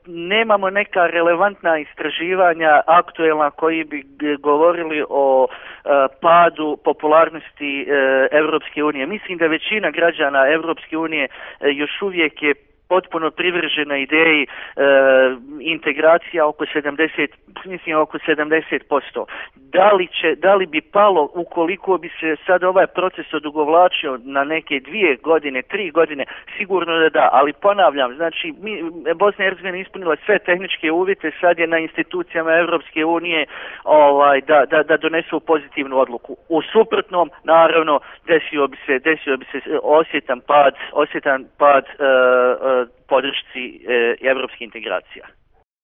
nemamo neka relevantna istraživanja aktuelna koji bi govorili o padu popularnosti Europske unije. Mislim da većina građana Europske unije još uvijek je potpuno privržena ideji integracija oko 70%. Da li bi palo ukoliko bi se sad ovaj proces odugovlačio na neke 2 godine, 3 godine, sigurno da, ali ponavljam, znači Bosna i Hercegovina ispunila sve tehničke uvjete, sad je na institucijama Europske unije da donesu pozitivnu odluku. U suprotnom, naravno, desio bi se osjetan pad podršci evropskih integracija.